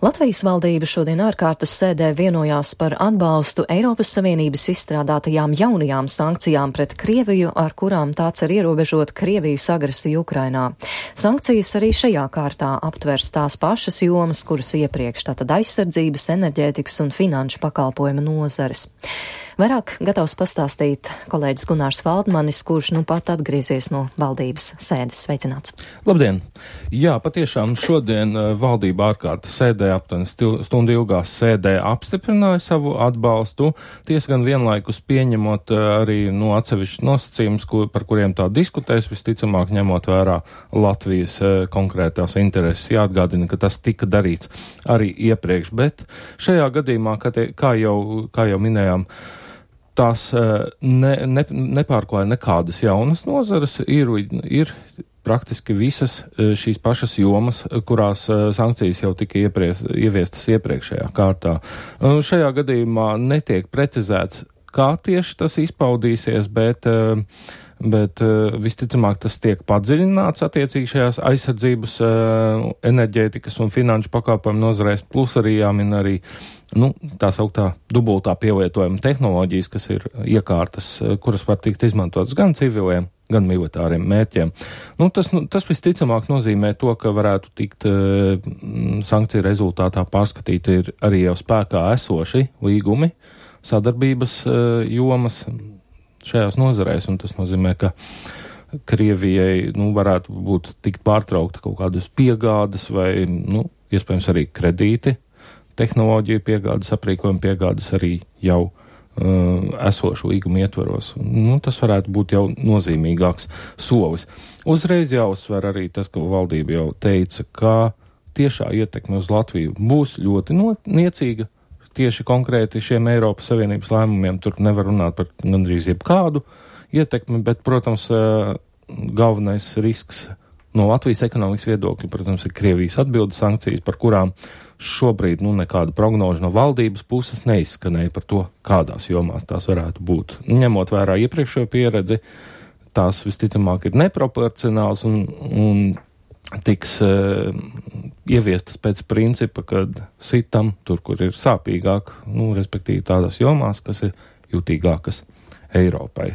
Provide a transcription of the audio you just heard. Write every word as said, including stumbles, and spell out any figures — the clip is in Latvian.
Latvijas valdība šodien ārkārtas sēdē vienojās par atbalstu Eiropas Savienības izstrādātajām jaunajām sankcijām pret Krieviju, ar kurām tā cer ierobežot Krievijas agresiju Ukrainā. Sankcijas arī šajā kārtā aptvers tās pašas jomas, kuras iepriekš, tātad aizsardzības, enerģētikas un finanšu pakalpojumu nozares. Vairāk gatavs pastāstīt kolēģis Gunārs Valdmanis, kurš nu pat atgriezies no valdības sēdes. Sveicināts! Labdien! Jā, patiešām šodien valdība ārkārtas sēdē, aptuveni stundu ilgā sēdē apstiprināja savu atbalstu, tiesa gan vienlaikus pieņemot arī no atsevišķus nosacījumus, kur, par kuriem tā diskutēs, visticamāk ņemot vērā Latvijas konkrētās intereses. Jāatgādina, ka tas tika darīts arī iepriekš, bet šajā gadījumā, kā, te, kā, jau, kā jau minējām, tās ne, ne, nepārklāja nekādas jaunas nozares, ir, ir praktiski visas šīs pašas jomas, kurās sankcijas jau tika iepries, ieviestas iepriekšējā kārtā. Šajā gadījumā netiek precizēts, kā tieši tas izpaudīsies, bet, bet visticamāk tas tiek padziļināts attiecīgi šajās aizsardzības, enerģētikas un finanšu pakalpojumu nozarēs, plus arī jāmin arī Nu, tā sauktā dubultā pielietojuma tehnoloģijas, kas ir iekārtas, kuras var tikt izmantotas gan civiliem, gan militāriem mērķiem. Nu, tas, nu, tas visticamāk nozīmē to, ka varētu tikt uh, sankciju rezultātā pārskatīti ir arī jau spēkā esoši līgumi, sadarbības uh, jomas šajās nozarēs, un tas nozīmē, ka Krievijai nu, varētu būt tikt pārtraukta kaut kādas piegādes vai, nu, iespējams arī kredīti, tehnoloģiju piegādes, aprīkojuma piegādes arī jau uh, esošu līgumu ietvaros. Nu, tas varētu būt jau nozīmīgāks solis. Uzreiz jāuzsver arī tas, ka valdība jau teica, ka tiešā ietekme uz Latviju būs ļoti no, niecīga. Tieši konkrēti šiem Eiropas Savienības lēmumiem tur nevar runāt par gandrīz jebkādu ietekmi, bet, protams, uh, galvenais risks no Latvijas ekonomikas viedokļa, protams, ir Krievijas atbildes sankcijas, par kurām šobrīd nu, nekāda prognoža no valdības puses neizskanēja par to, kādās jomās tās varētu būt. Ņemot vērā iepriekšējo pieredzi, tās visticamāk ir neproporcionāls un, un tiks uh, ieviestas pēc principa, kad sitam tur, kur ir sāpīgāk, nu, respektīvi tādās jomās, kas ir jutīgākas Eiropai.